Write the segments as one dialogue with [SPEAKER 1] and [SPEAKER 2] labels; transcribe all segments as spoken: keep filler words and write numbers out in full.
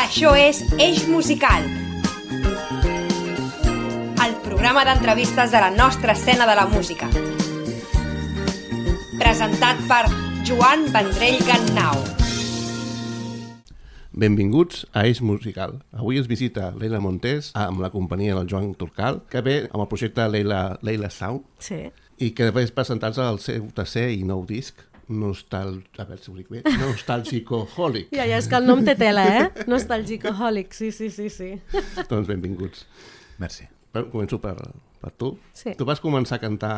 [SPEAKER 1] Això és Eix Musical, el programa d'entrevistes de la nostra escena de la música. Presentat per Joan Vendrell Gannau.
[SPEAKER 2] Benvinguts a Eix Musical. Avui ens visita Leila Montés amb la companyia del Joan Turcal, que ve amb el projecte Leila, Leila Sound,
[SPEAKER 3] sí.
[SPEAKER 2] I que ve presentar-se el seu tercer i nou disc, Nostal... a veure si ho dic bé, Nostalgicoholic.
[SPEAKER 3] Ja, ja, és que el nom té tela, eh? Nostalgicoholic, sí, sí, sí, sí.
[SPEAKER 2] Doncs benvinguts.
[SPEAKER 4] Merci.
[SPEAKER 2] Començo per, per tu.
[SPEAKER 3] Sí.
[SPEAKER 2] Tu vas començar a cantar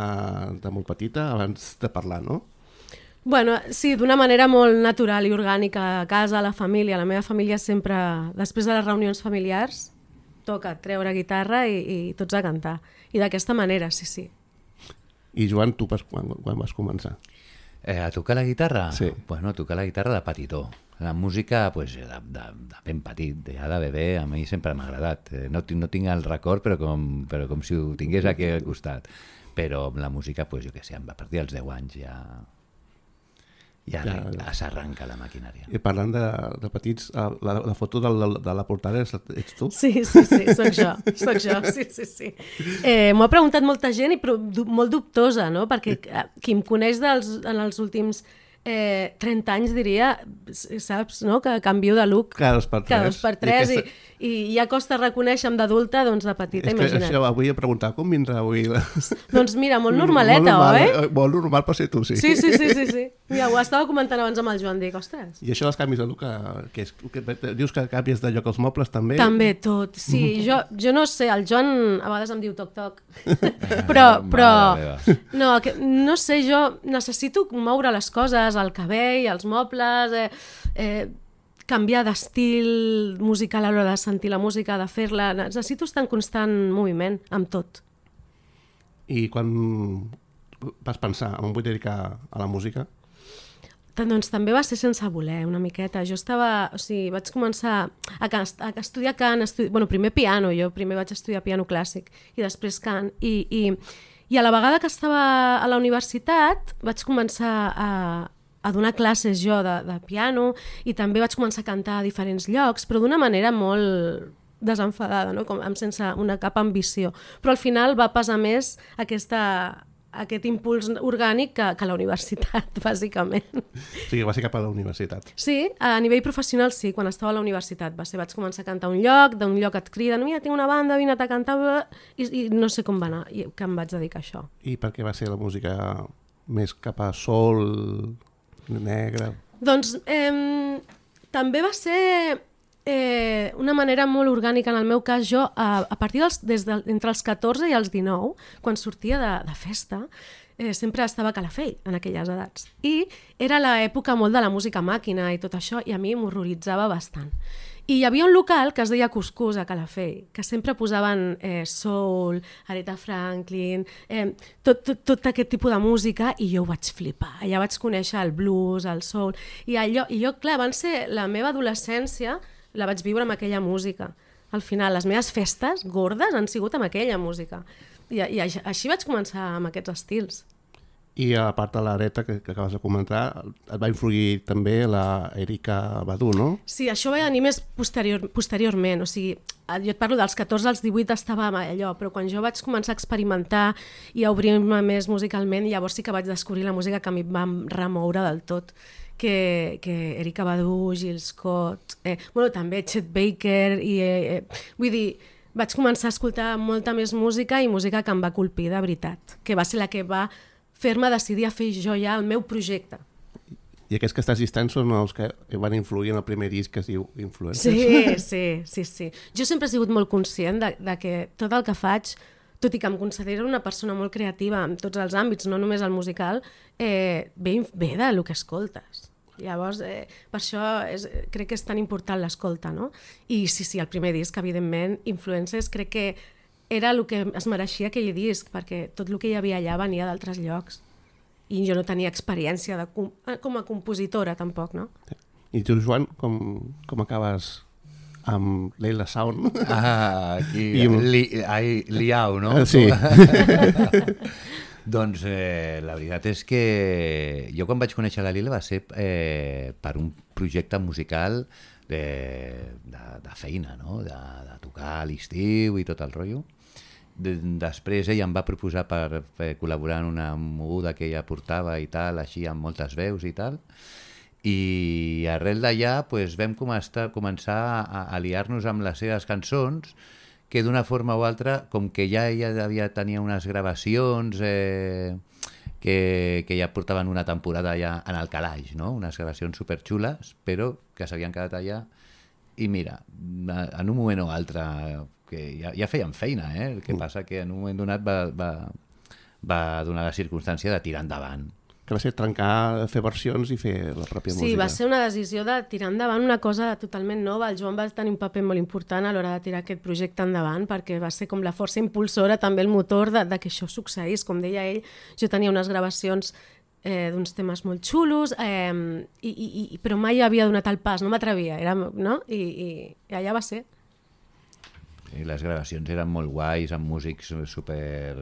[SPEAKER 2] de molt petita, abans de parlar, no?
[SPEAKER 3] Bueno, sí, d'una manera molt natural i orgànica, a casa, a la família. La meva família sempre, després de les reunions familiars, toca treure guitarra i, i tots a cantar. I d'aquesta manera, sí, sí.
[SPEAKER 2] I Joan, tu vas, quan, quan vas començar?
[SPEAKER 4] Eh, a tocar la guitarra?
[SPEAKER 2] Sí.
[SPEAKER 4] Bueno, a tocar la guitarra de petitó. La música, pues, de, de, de ben petit, ja de bebè, a mi sempre m'ha agradat. Eh, no, no tinc el record, però com, però com si ho tingués aquí al costat. Però amb la música, pues, jo què sé, a partir dels deu anys ja... Ja, ja, ja. S'arranca la maquinària.
[SPEAKER 2] I parlant de, de petits, la, la foto de la, de la portada és, ets tu?
[SPEAKER 3] Sí, sí, sí, soc jo, soc jo, sí, sí, sí. Eh, M'ho ha preguntat molta gent i però, du, molt dubtosa, no? Perquè eh, qui em coneix dels, en els últims eh, trenta anys diria, saps, no? Que canvio de look
[SPEAKER 2] cada dos per tres,
[SPEAKER 3] cada dos per tres i,
[SPEAKER 2] aquesta...
[SPEAKER 3] i, i ja costa reconèixer-me d'adulta, doncs de petita,
[SPEAKER 2] és que
[SPEAKER 3] imagina't.
[SPEAKER 2] això avui he preguntat com vindrà avui la...
[SPEAKER 3] Doncs mira, molt normaleta,
[SPEAKER 2] molt normal,
[SPEAKER 3] oi?
[SPEAKER 2] Molt normal per ser tu, sí.
[SPEAKER 3] Sí, sí, sí, sí, sí. Ja ho estava comentant abans amb el Joan, dic, ostres.
[SPEAKER 2] I això dels canvis de look, que, és, que dius que canvies de lloc als mobles també?
[SPEAKER 3] També tot, sí. Jo, jo no sé, el Joan a vegades em diu toc-toc, però, però no, que, no sé, jo necessito moure les coses, el cabell, els mobles, eh, eh, canviar d'estil musical a l'hora de sentir la música, de fer-la, necessito estar en constant moviment amb tot.
[SPEAKER 2] I quan vas pensar, em vull dedicar a la música?
[SPEAKER 3] Doncs també va ser sense voler, una miqueta. Jo estava, o sigui, vaig començar a, a estudiar cant, estudi... bueno, primer piano, jo primer vaig estudiar piano clàssic i després cant, i, i, i a la vegada que estava a la universitat vaig començar a, a donar classes jo de, de piano i també vaig començar a cantar a diferents llocs, però d'una manera molt desenfadada, no? Com, sense una cap ambició. Però al final va pesar més aquesta... aquest impuls orgànic que, que la universitat, bàsicament.
[SPEAKER 2] O sigui, va ser cap a la universitat.
[SPEAKER 3] Sí, a nivell professional sí, quan estava a la universitat. Va ser, vaig començar a cantar a un lloc, d'un lloc et criden, mira, tinc una banda, vine a cantar, i, i no sé com va anar, i que em vaig dedicar a això.
[SPEAKER 2] I per què va ser la música més cap a sol, negre?
[SPEAKER 3] Doncs eh, també va ser... Eh, una manera molt orgànica en el meu cas. Jo a, a partir dels, des de, entre els catorze i els dinou, quan sortia de, de festa, eh, sempre estava a Calafell en aquelles edats, i era l'època molt de la música màquina i tot això, i a mi m'horroritzava bastant. I hi havia un local que es deia Cuscús a Calafell, que sempre posaven eh, soul, Aretha Franklin, eh, tot, tot, tot aquest tipus de música, i jo ho vaig flipar. Allà vaig conèixer el blues, el soul, i, allò, i jo, clar, van ser la meva adolescència, la vaig viure amb aquella música. Al final, les meves festes gordes han sigut amb aquella música. I, i així vaig començar amb aquests estils.
[SPEAKER 2] I a part de l'Areta que, que acabes de comentar, et va influir també la Erykah Badu, no?
[SPEAKER 3] Sí, això va venir més posterior, posteriorment. O sigui, jo et parlo dels catorze als divuit estava allò, però quan jo vaig començar a experimentar i a obrir-me més musicalment, llavors sí que vaig descobrir la música que a mi em va remoure del tot. Que, que Erykah Badu, Jill Scott, eh, bueno, també Chet Baker, i eh, eh, vull dir, vaig començar a escoltar molta més música i música que em va colpir de veritat, que va ser la que va fer-me decidir a fer jo ja el meu projecte.
[SPEAKER 2] I aquests que estàs llistant són els que van influir en el primer disc que es diu Influencers?
[SPEAKER 3] Sí, sí, sí, sí. Jo sempre he sigut molt conscient de, de que tot el que faig, tot i que em considero una persona molt creativa en tots els àmbits, no només el musical, eh, ve, ve del que escoltes. Llavors, eh, per això és, crec que és tan important l'escolta, no? I sí, sí, el primer disc, evidentment, Influencers, crec que era el que es mereixia aquell disc, perquè tot el que hi havia allà venia d'altres llocs. I jo no tenia experiència de, com a compositora, tampoc, no?
[SPEAKER 2] I tu, Joan, com, com acabes amb Leila Sound?
[SPEAKER 4] Ah, aquí,
[SPEAKER 2] I...
[SPEAKER 4] li, ai, liau, no?
[SPEAKER 2] Sí.
[SPEAKER 4] Doncs eh, la veritat és que jo quan vaig conèixer la Lila va ser eh, per un projecte musical de, de, de feina, no? de, de tocar a l'estiu i tot el rotllo. De, després ella em va proposar per, per col·laborar en una moguda que ella portava i tal, així amb moltes veus i tal, i arrel d'allà pues, vam començar, començar a aliar-nos amb les seves cançons, que d'una forma o altra, com que ja ella havia, tenia unes gravacions eh, que, que ja portaven una temporada ja en el calaix, no? Unes gravacions superxules, però que s'havien quedat allà, i mira, en un moment o altre, que ja, ja feien feina, eh? El que passa que en un moment donat va, va, va donar la circumstància de tirar endavant.
[SPEAKER 2] Que va ser trencar, fer versions i fer la pròpia
[SPEAKER 3] sí,
[SPEAKER 2] música.
[SPEAKER 3] Sí, va ser una decisió de tirar endavant una cosa totalment nova. El Joan va tenir un paper molt important a l'hora de tirar aquest projecte endavant, perquè va ser com la força impulsora, també el motor de, de que això succeís. Com deia ell, jo tenia unes gravacions eh, d'uns temes molt xulos, eh, i, i, i, però mai havia donat el pas, no m'atrevia, era, no? I, i, I allà va ser.
[SPEAKER 4] I les gravacions eren molt guais, amb músics super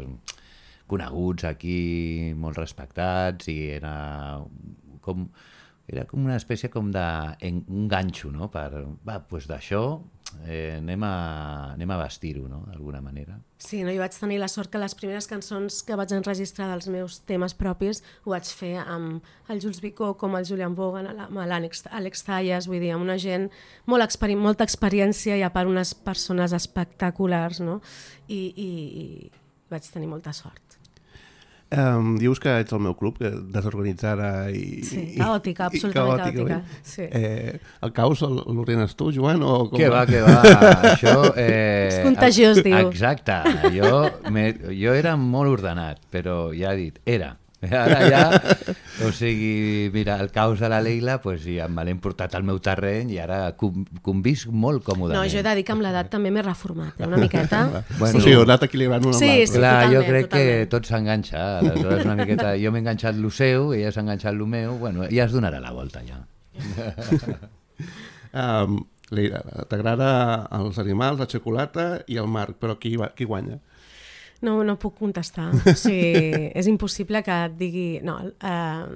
[SPEAKER 4] coneguts aquí, molt respectats, i era com, era com una espècie com de en, un ganxo, no? Per, va, doncs d'això eh, anem a, anem a vestir-ho, no? D'alguna manera.
[SPEAKER 3] Sí, no? Jo vaig tenir la sort que les primeres cançons que vaig enregistrar dels meus temes propis ho vaig fer amb el Jules Bicó, com el Julian Bogan, amb l'Àlex Zayas, vull dir, amb una gent molt experi molta experiència i a part unes persones espectaculars, no? I, i, i vaig tenir molta sort.
[SPEAKER 2] Um, dius que ets el meu club, que desorganitzada i...
[SPEAKER 3] Sí, caòtica, absolutament caòtica. Sí.
[SPEAKER 2] Eh, el caos l'ordenes tu, Joan? O com...
[SPEAKER 4] Que va, que va, això... Eh,
[SPEAKER 3] és contagiós, diu.
[SPEAKER 4] Exacte, jo, me, jo era molt ordenat, però ja he dit, era. Ara ja, o sigui, mira, el caos de la Leila, pues, ja me l'he portat al meu terreny i ara convisc molt còmodament.
[SPEAKER 3] No, jo he de dir que amb l'edat també m'he reformat, eh, una miqueta.
[SPEAKER 2] Bueno, sí. O sigui, heu anat equilibrant una
[SPEAKER 3] sí,
[SPEAKER 2] amb l'altra.
[SPEAKER 3] Sí,
[SPEAKER 4] clar,
[SPEAKER 3] totalment,
[SPEAKER 4] jo crec
[SPEAKER 3] totalment.
[SPEAKER 4] que tot s'enganxa, aleshores una miqueta, jo m'he enganxat lo seu, ella s'ha enganxat lo meu, bueno, ja es donarà la volta ja.
[SPEAKER 2] um, Leila, t'agrada els animals, la xocolata i el mar, però qui, qui guanya?
[SPEAKER 3] No, no puc contestar. O sigui, és impossible que et digui... No, eh,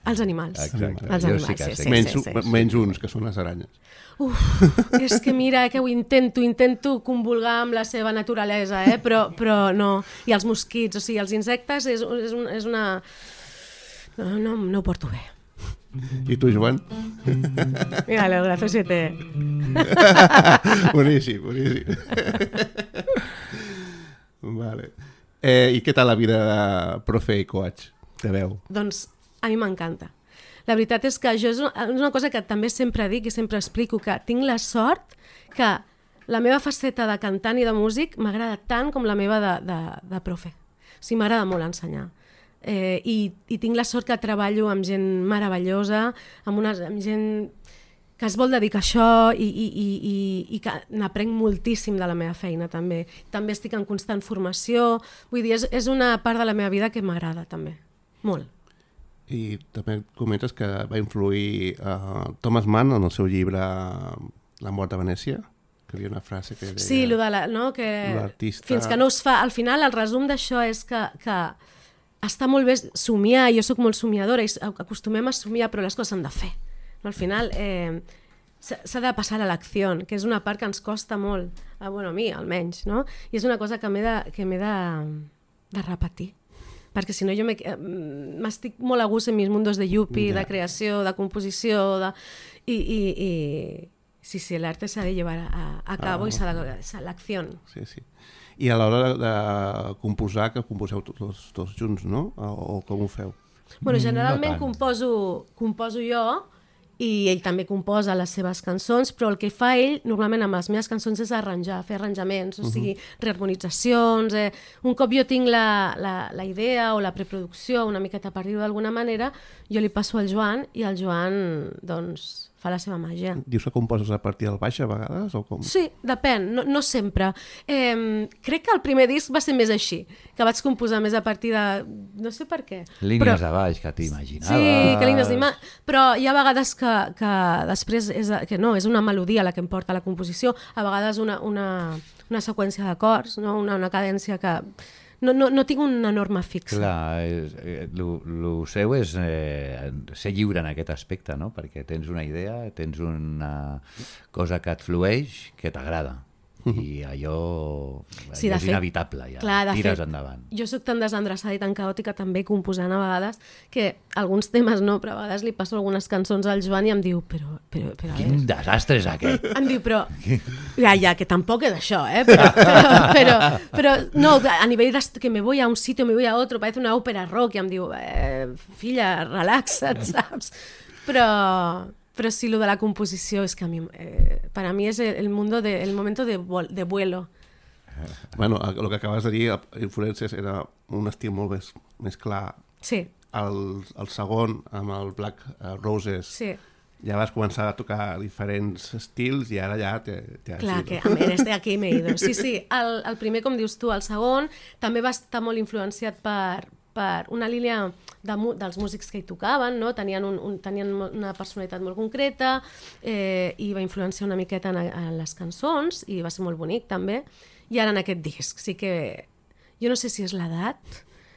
[SPEAKER 3] els animals.
[SPEAKER 4] Exacte.
[SPEAKER 3] Els
[SPEAKER 4] Jo
[SPEAKER 3] animals,
[SPEAKER 4] sí que
[SPEAKER 3] sí,
[SPEAKER 4] sé.
[SPEAKER 3] sí,
[SPEAKER 2] menys,
[SPEAKER 3] sí, sí.
[SPEAKER 2] menys uns, que són les aranyes.
[SPEAKER 3] Uf, és que mira, que ho intento, intento convulgar amb la seva naturalesa, eh? però, però no. I els mosquits, o sigui, els insectes és, és, un, és una... No, no, no ho porto bé.
[SPEAKER 2] I tu, Joan?
[SPEAKER 3] Mira, el brazo siete.
[SPEAKER 2] Boníssim, boníssim. Vale. Eh, I què tal la vida de profe i coach de veu?
[SPEAKER 3] Doncs a mi m'encanta. La veritat és que això és una cosa que també sempre dic i sempre explico, que tinc la sort que la meva faceta de cantant i de músic m'agrada tant com la meva de, de, de profe. O sigui, m'agrada molt ensenyar. Eh, i, I tinc la sort que treballo amb gent meravellosa, amb, una, amb gent que es vol dedicar a això i, i, i, i, i que n'aprenc moltíssim de la meva feina també. També estic en constant formació, vull dir, és, és una part de la meva vida que m'agrada també, molt.
[SPEAKER 2] I també comentes que va influir uh, Thomas Mann en el seu llibre La mort de Venècia, que hi havia una frase que deia...
[SPEAKER 3] Sí, lo de la, no, que
[SPEAKER 2] l'artista...
[SPEAKER 3] fins que no es fa... Al final, el resum d'això és que, que està molt bé somiar, jo sóc molt somiadora i acostumem a somiar, però les coses s'han de fer. Al final eh, s'ha de passar a l'acció, que és una part que ens costa molt, a, bueno, a mi almenys, no? I és una cosa que m'he de, que m'he de, de repetir, perquè si no jo m'estic molt a gust en mis mundos de yuppie, yeah. de creació, de composició, de... I, i, i sí, sí, l'arte s'ha de llevar a, a cabo ah, i s'ha de... a l'acció.
[SPEAKER 2] Sí, sí. I a l'hora de composar, que composeu tots dos, dos junts, no? O, o com ho feu?
[SPEAKER 3] Bueno, generalment
[SPEAKER 4] no
[SPEAKER 3] composo, composo jo, i ell també composa les seves cançons, però el que fa ell normalment amb les meves cançons és arranjar, fer arranjaments, o sigui, reharmonitzacions. Eh. Un cop jo tinc la, la, la idea o la preproducció una miqueta per dir-ho d'alguna manera, jo li passo al Joan i el Joan doncs, fa la seva màgia.
[SPEAKER 2] Dius que composes a partir del baix a vegades o com?
[SPEAKER 3] Sí, depèn, no, no sempre. Eh, crec que el primer disc va ser més així, que vaig composar més a partir de... no sé per què.
[SPEAKER 4] Línies
[SPEAKER 3] però...
[SPEAKER 4] de baix, que t'imaginaves.
[SPEAKER 3] Sí, que línies d'imatge, però hi ha vegades que, que després és, que no, és una melodia la que em porta a la composició, a vegades una, una, una seqüència d'acords, no? una, una cadència que... no, no, no tinc una norma fixa.
[SPEAKER 4] Clar, el seu és eh, ser lliure en aquest aspecte, no? Perquè tens una idea, tens una cosa que et flueix, que t'agrada. I allò
[SPEAKER 3] Sí,
[SPEAKER 4] és
[SPEAKER 3] de fet,
[SPEAKER 4] inevitable, ja
[SPEAKER 3] clar, de
[SPEAKER 4] tires
[SPEAKER 3] fet,
[SPEAKER 4] endavant.
[SPEAKER 3] Jo sóc tan desendreçada i tan caòtica també composant a vegades que alguns temes no, però a vegades li passo algunes cançons al Joan i em diu, però... però, però a
[SPEAKER 4] Quin
[SPEAKER 3] veure,
[SPEAKER 4] desastre és aquest!
[SPEAKER 3] em diu, però... Ja, ja, que tampoc és això, eh? Però, però, però, però no, a nivell de que me voy a un sitio, me voy a otro, parece una òpera rock, i em diu, eh, filla, relaxa't, saps? Però... Però sí, lo de la composició és que a mi, eh, para mí es el, mundo de, el momento de, de vuelo.
[SPEAKER 2] Bueno, el que acabes de dir, Influències, era un estil molt més, més clar.
[SPEAKER 3] Sí.
[SPEAKER 2] El, el segon, amb el Black Roses,
[SPEAKER 3] sí.
[SPEAKER 2] ja vas començar a tocar diferents estils i ara ja te, te has
[SPEAKER 3] Clar,
[SPEAKER 2] ido.
[SPEAKER 3] que a més de aquí m'he ido. Sí, sí, el, el primer, com dius tu, el segon, també va estar molt influenciat per, per una línia de, dels músics que hi tocaven, no? tenien, un, un, tenien una personalitat molt concreta eh, i va influenciar una miqueta en, en les cançons i va ser molt bonic també. I ara en aquest disc sí que... Jo no sé si és l'edat,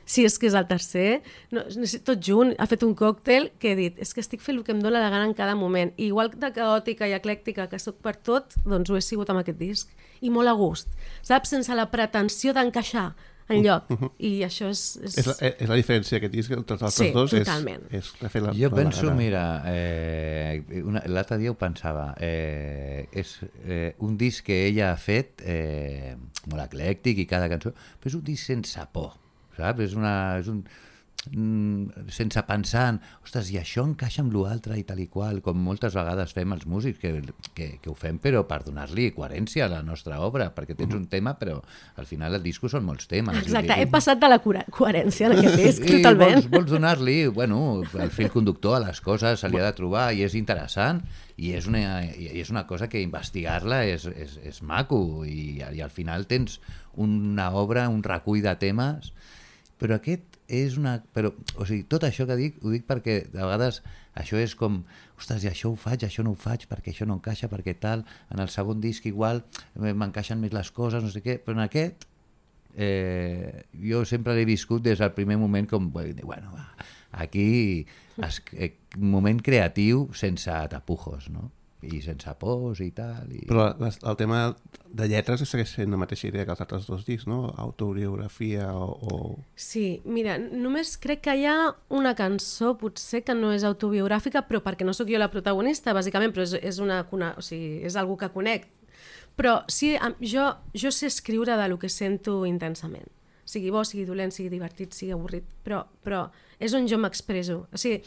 [SPEAKER 3] si és que és el tercer, no, no sé, tot junt, ha fet un còctel que he dit, és que estic fent el que em dóna la gana en cada moment. I igual de caòtica i eclèctica que soc per tot, doncs ho he sigut amb aquest disc. I molt a gust, saps? Sense la pretensió d'encaixar enlloc, uh -huh. i això és... És,
[SPEAKER 2] és, la, és la diferència d'aquest disc entre els altres
[SPEAKER 3] sí,
[SPEAKER 2] dos.
[SPEAKER 3] Totalment.
[SPEAKER 2] És, és fer la,
[SPEAKER 4] jo
[SPEAKER 2] la
[SPEAKER 4] penso,
[SPEAKER 2] gana.
[SPEAKER 4] mira, eh, l'altre dia ho pensava, eh, és eh, un disc que ella ha fet eh, molt eclèctic i cada cançó, però és un disc sense por, saps? És, una, és un... sense pensar en, ostres, i això encaixa amb l'altre i tal i qual, com moltes vegades fem els músics, que, que, que ho fem però per donar-li coherència a la nostra obra, perquè tens un tema però al final el disco són molts temes.
[SPEAKER 3] Exacte, he passat de la coherència en aquest disc, totalment.
[SPEAKER 4] Vols, vols donar-li, bueno, el fil conductor a les coses se li ha de trobar i és interessant i és una, i és una cosa que investigar-la és, és, és maco i, i al final tens una obra, un recull de temes, però aquest és una... Però, o sigui, tot això que dic, ho dic perquè de vegades això és com, ostres, i això ho faig, això no ho faig, perquè això no encaixa, perquè tal, en el segon disc igual m'encaixen més les coses, no sé què, però en aquest eh, jo sempre l'he viscut des del primer moment com, bueno, aquí es, eh, moment creatiu sense tapujos, no? I sense pors i tal. I...
[SPEAKER 2] Però les, el tema de lletres segueix sent la mateixa idea que els altres dos discs, no? Autobiografia o, o...
[SPEAKER 3] Sí, mira, només crec que hi ha una cançó potser que no és autobiogràfica, però perquè no sóc jo la protagonista, bàsicament, però és, és, una, una, o sigui, és algú que conec. Però sí, jo, jo sé escriure de lo que sento intensament. Sigui bo, sigui dolent, sigui divertit, sigui avorrit, però, però és on jo m'expresso. O sigui,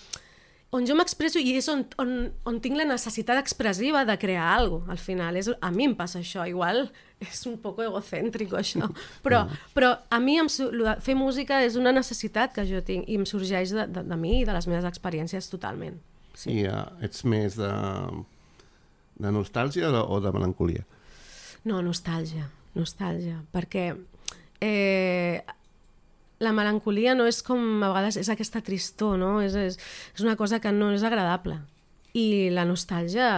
[SPEAKER 3] on jo m'expresso i és on, on, on tinc la necessitat expressiva de crear alguna cosa, al final. És, a mi em passa això, igual és un poc egocèntric això, però, però a mi em, fer música és una necessitat que jo tinc i em sorgeix de, de, de mi i de les meves experiències totalment. Sí.
[SPEAKER 2] I uh, ets més de, de nostàlgia o de, o de melancolia?
[SPEAKER 3] No, nostàlgia, nostàlgia, perquè... Eh, la melancolia no és com a vegades és aquesta tristor, no? És, és, és una cosa que no és agradable. I la nostàlgia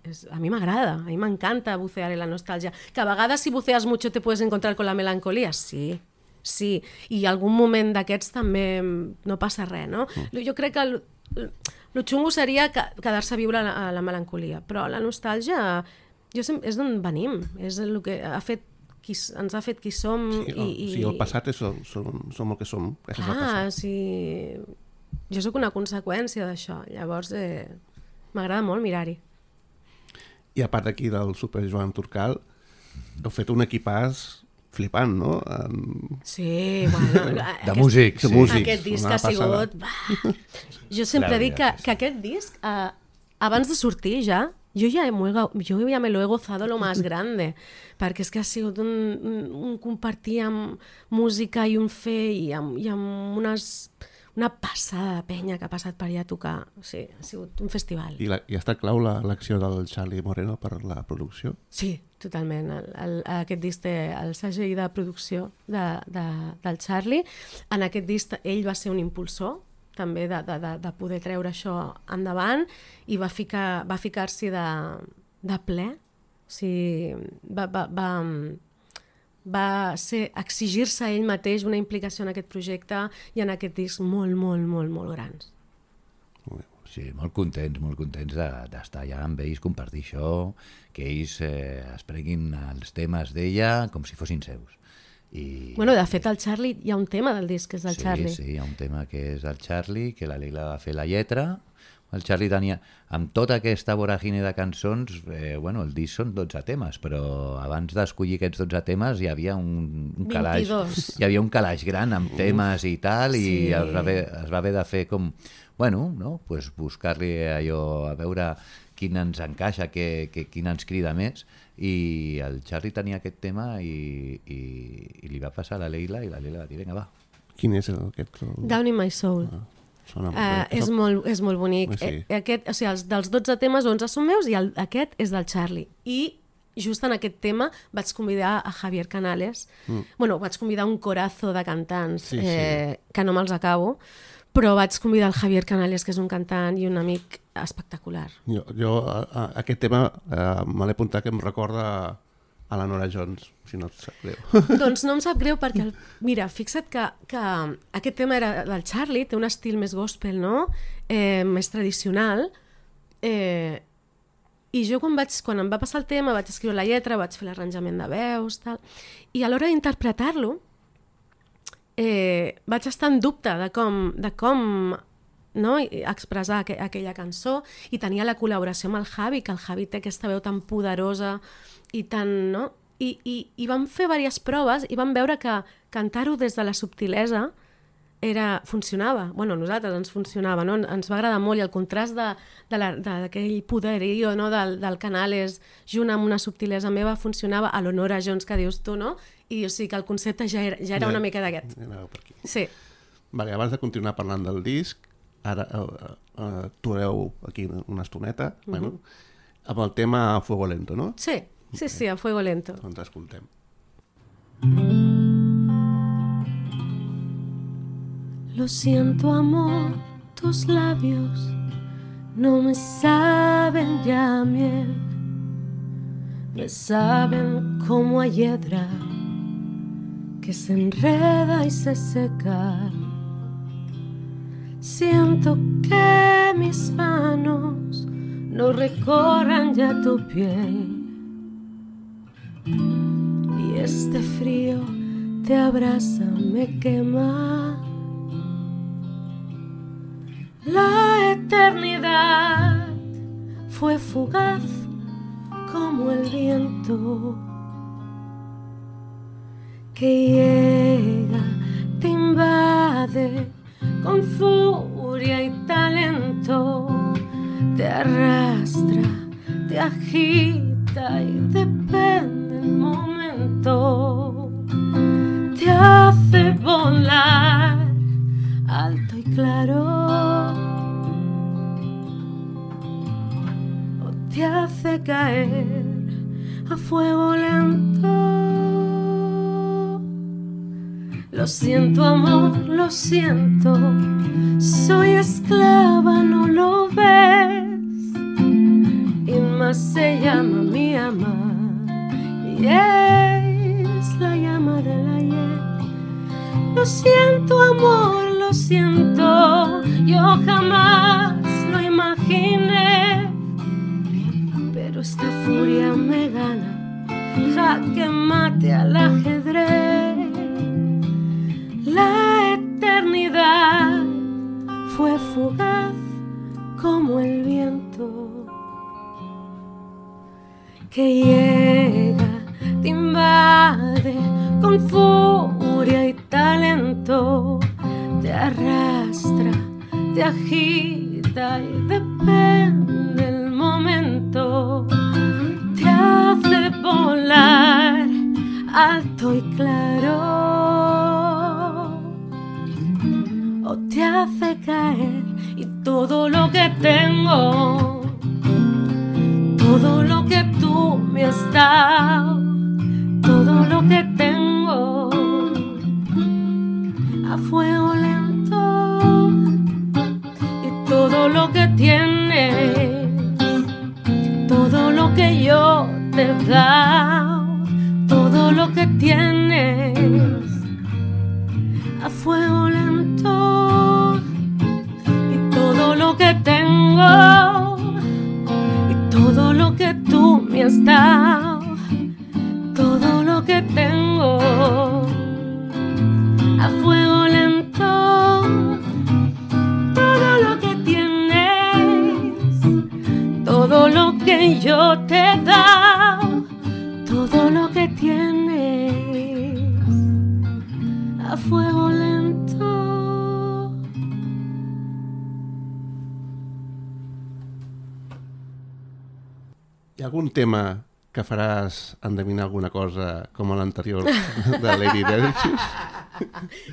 [SPEAKER 3] és, a mi m'agrada, a mi m'encanta bucear en la nostàlgia. Que a vegades si buceas mucho te puedes encontrar con la melancolía, sí, sí. I algun moment d'aquests també no passa res, no? Jo crec que el, el xungo seria quedar-se a viure a la, a la melancolia, però la nostàlgia jo sempre, és d'on venim, és el que ha fet qui ens ha fet qui som.
[SPEAKER 2] Sí,
[SPEAKER 3] i, i...
[SPEAKER 2] sí, el passat és, som, som, som el que som.
[SPEAKER 3] Ah, sí. Jo sóc una conseqüència d'això, llavors eh, m'agrada molt mirar-hi.
[SPEAKER 2] I a part d'aquí del Super Joan Turcal, heu fet un equipàs flipant, no? En...
[SPEAKER 3] Sí, bueno...
[SPEAKER 4] de
[SPEAKER 3] aquest,
[SPEAKER 4] músics,
[SPEAKER 2] sí.
[SPEAKER 3] músics. Aquest disc ha sigut... Jo sempre
[SPEAKER 4] Claro,
[SPEAKER 3] dic que, que aquest disc, eh, abans de sortir ja, Jo ja, jo ja me lo he gozado lo más grande, perquè és que ha sigut un, un, un compartir amb música i un fer i amb, i amb unes, una passada de penya que ha passat per allà a tocar. O sigui, ha sigut un festival.
[SPEAKER 2] I, la, i ha estat clau l'acció del Charlie Moreno per la producció?
[SPEAKER 3] Sí, totalment. El, el, aquest disc té el segell de producció de, de, del Charlie. En aquest disc ell va ser un impulsor també de, de, de poder treure això endavant i va, ficar, va ficar-s'hi de, de ple. O sigui, va, va, va, va ser exigir-se a ell mateix una implicació en aquest projecte i en aquest disc molt, molt, molt, molt grans.
[SPEAKER 4] Sí, molt contents, molt contents de- d'estar allà amb ells, compartir això, que ells eh, es prenguin els temes d'ella com si fossin seus. I,
[SPEAKER 3] Bueno, de fet, el Charlie, hi ha un tema del disc que és del
[SPEAKER 4] sí,
[SPEAKER 3] Charlie.
[SPEAKER 4] Sí, hi ha un tema que és del Charlie, que la Leila va fer la lletra. El Charlie tenia, amb tota aquesta voràgine de cançons, eh, bueno, el disc són dotze temes, però abans d'escollir aquests dotze temes hi havia un, un calaix,
[SPEAKER 3] vint-i-dos.
[SPEAKER 4] hi havia un calaix gran amb temes i tal, i
[SPEAKER 3] Sí.
[SPEAKER 4] es, va haver, es va haver de fer com, bueno, no? Pues buscar-li allò, a veure quin ens encaixa, que, que, quin ens crida més, i el Charlie tenia aquest tema i, i, i li va passar a la Leila, i la Leila va dir, vinga, va.
[SPEAKER 2] Quin és el- aquest? El...
[SPEAKER 3] Down in my soul.
[SPEAKER 2] Ah, sona molt
[SPEAKER 3] Uh,
[SPEAKER 2] bé.
[SPEAKER 3] és, molt, és molt bonic.
[SPEAKER 2] Sí.
[SPEAKER 3] Eh, aquest, o sigui, els, dels dotze temes, onze són meus i el, aquest és del Charlie. I just en aquest tema vaig convidar a Javier Canales. Mm. Bueno, vaig convidar un corazo de cantants
[SPEAKER 2] Sí, sí.
[SPEAKER 3] eh, que no me'ls acabo, però vaig convidar el Javier Canales, que és un cantant i un amic espectacular.
[SPEAKER 2] Jo, jo a, a, aquest tema eh, me l'he apuntat que em recorda a la Nora Jones, si no et sap greu.
[SPEAKER 3] Doncs no em sap greu perquè, el, mira, fixa't que, que aquest tema era del Charlie, té un estil més gospel, no? Eh, més tradicional. Eh, I jo quan, vaig, quan em va passar el tema vaig escriure la lletra, vaig fer l'arranjament de veus, tal, i a l'hora d'interpretar-lo eh, vaig estar en dubte de com, de com no? expressar aqu aquella cançó, i tenia la col·laboració amb el Javi, que el Javi té aquesta veu tan poderosa i tan... No? I, i, i vam fer diverses proves i vam veure que cantar-ho des de la subtilesa era, funcionava. Bueno, a nosaltres ens funcionava, no? Ens va agradar molt, i el contrast de, de la- d'aquell poderío, no? del, del Canales junt amb una subtilesa meva funcionava a l'Honora Jones que dius tu, no? I o sigui que el concepte ja era, ja era una mica d'aquest.
[SPEAKER 2] Anava per aquí.
[SPEAKER 3] Sí.
[SPEAKER 2] Vale, abans de continuar parlant del disc, ara uh, uh, actuareu aquí una estoneta, mm -hmm. bueno, amb el tema Fuego Lento, no?
[SPEAKER 3] Sí, sí, sí, a fuego lento.
[SPEAKER 2] Doncs escoltem.
[SPEAKER 3] Lo siento, amor, tus labios no me saben ya a miel, me saben como a hiedra que se enreda y se seca. Siento que mis manos no recorran ya tu piel, y este frío te abraza, me quema. La eternidad fue fugaz como el viento que llega, te invade con furia y talento, te arrastra, te agita y depende el momento, te hace volar alto y claro, o te hace caer a fuego lento. Lo siento, amor, lo siento, soy esclava, no lo ves, y más se llama mi ama, y es la llama del ayer. Lo siento, amor, lo siento, yo jamás lo imaginé, pero esta furia me gana, jaque mate al ajedrez. La eternidad fue fugaz como el viento que llega, te invade con furia y talento, te arrastra, te agita y depende el momento, te hace volar alto y claro, o te hace caer, y todo lo que tengo, todo lo que tú me has dado, todo lo que tengo, a fuego lento, y todo lo que tienes, todo lo que yo te he dado, todo lo que tienes a fuego lento, y todo lo que tengo, y todo lo que tú me has dado, todo lo que tengo a fuego lento, todo lo que tienes, todo lo que yo te he dado, todo lo que tienes a fuego lento.
[SPEAKER 2] Hi ha algun tema que faràs endevinar alguna cosa com a l'anterior de Lady Delicious?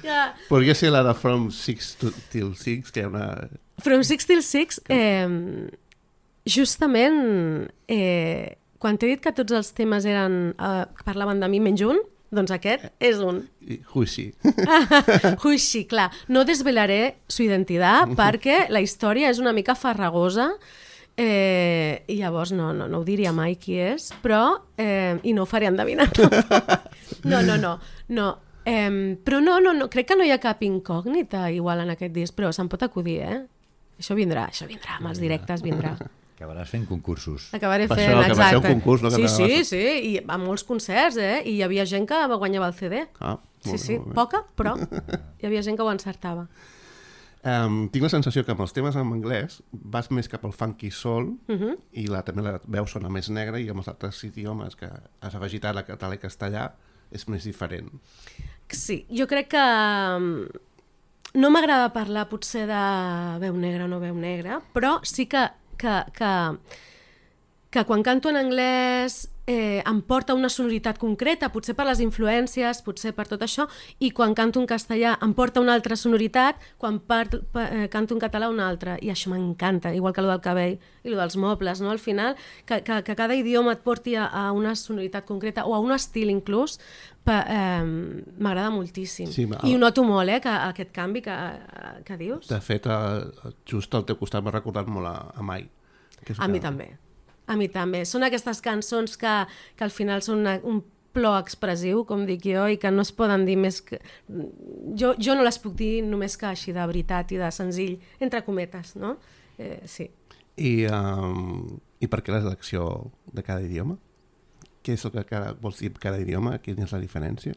[SPEAKER 3] Ja.
[SPEAKER 2] Podria ser la de From Six to, Till Six, que hi ha una...
[SPEAKER 3] From Six Till Six, eh, justament, eh, quan t'he dit que tots els temes eren, eh, parlaven de mi menys un, doncs aquest és un.
[SPEAKER 2] Huixi.
[SPEAKER 3] Huixi, clar. No desvelaré su identitat perquè la història és una mica farragosa, eh, i llavors no, no, no ho diria mai qui és, però, eh, i no ho faré endevinar. No, no, no, no. Eh, però no, no, no, crec que no hi ha cap incògnita igual en aquest disc, però se'n pot acudir, eh? Això vindrà, això vindrà, amb els directes vindrà.
[SPEAKER 4] Acabaràs fent concursos.
[SPEAKER 3] Acabaré
[SPEAKER 2] Per
[SPEAKER 3] fent,
[SPEAKER 2] això, que va ser un
[SPEAKER 3] exacte.
[SPEAKER 2] concurs, no? Que
[SPEAKER 3] Sí,
[SPEAKER 2] acabaves-
[SPEAKER 3] sí, sí, i a molts concerts, eh? I hi havia gent que guanyava el C D.
[SPEAKER 2] Ah,
[SPEAKER 3] Sí,
[SPEAKER 2] molt bé,
[SPEAKER 3] sí,
[SPEAKER 2] molt bé.
[SPEAKER 3] poca, però hi havia gent que ho encertava.
[SPEAKER 2] Um, tinc la sensació que amb els temes en anglès vas més cap al funky soul
[SPEAKER 3] Uh -huh.
[SPEAKER 2] i la, també la veu sona més negra, i amb els altres idiomes que has afegit ara, català i castellà, és més diferent.
[SPEAKER 3] Sí, jo crec que mm, no m'agrada parlar potser de veu negra o no veu negra, però sí que, que, que, que quan canto en anglès eh, em porta una sonoritat concreta, potser per les influències, potser per tot això, i quan canto en castellà em porta una altra sonoritat, quan part, pa, eh, canto en català una altra, i això m'encanta, igual que el del cabell i el dels mobles, no? Al final, que, que, que cada idioma et porti a, a una sonoritat concreta o a un estil inclús, pa, eh, m'agrada moltíssim.
[SPEAKER 2] Sí, ma-
[SPEAKER 3] I ho noto molt, eh, que, aquest canvi que, que dius.
[SPEAKER 2] De fet, eh, just al teu costat m'ha recordat molt a, a Mai. Que és
[SPEAKER 3] A
[SPEAKER 2] que-
[SPEAKER 3] mi també. A mi també. Són aquestes cançons que, que al final són una, un plor expressiu, com dic jo, i que no es poden dir més que... Jo, jo no les puc dir només que així de veritat i de senzill, entre cometes, no? Eh, sí.
[SPEAKER 2] I, um, I per què la selecció de cada idioma? Què és el que cada, vols dir cada idioma? Quina és la diferència?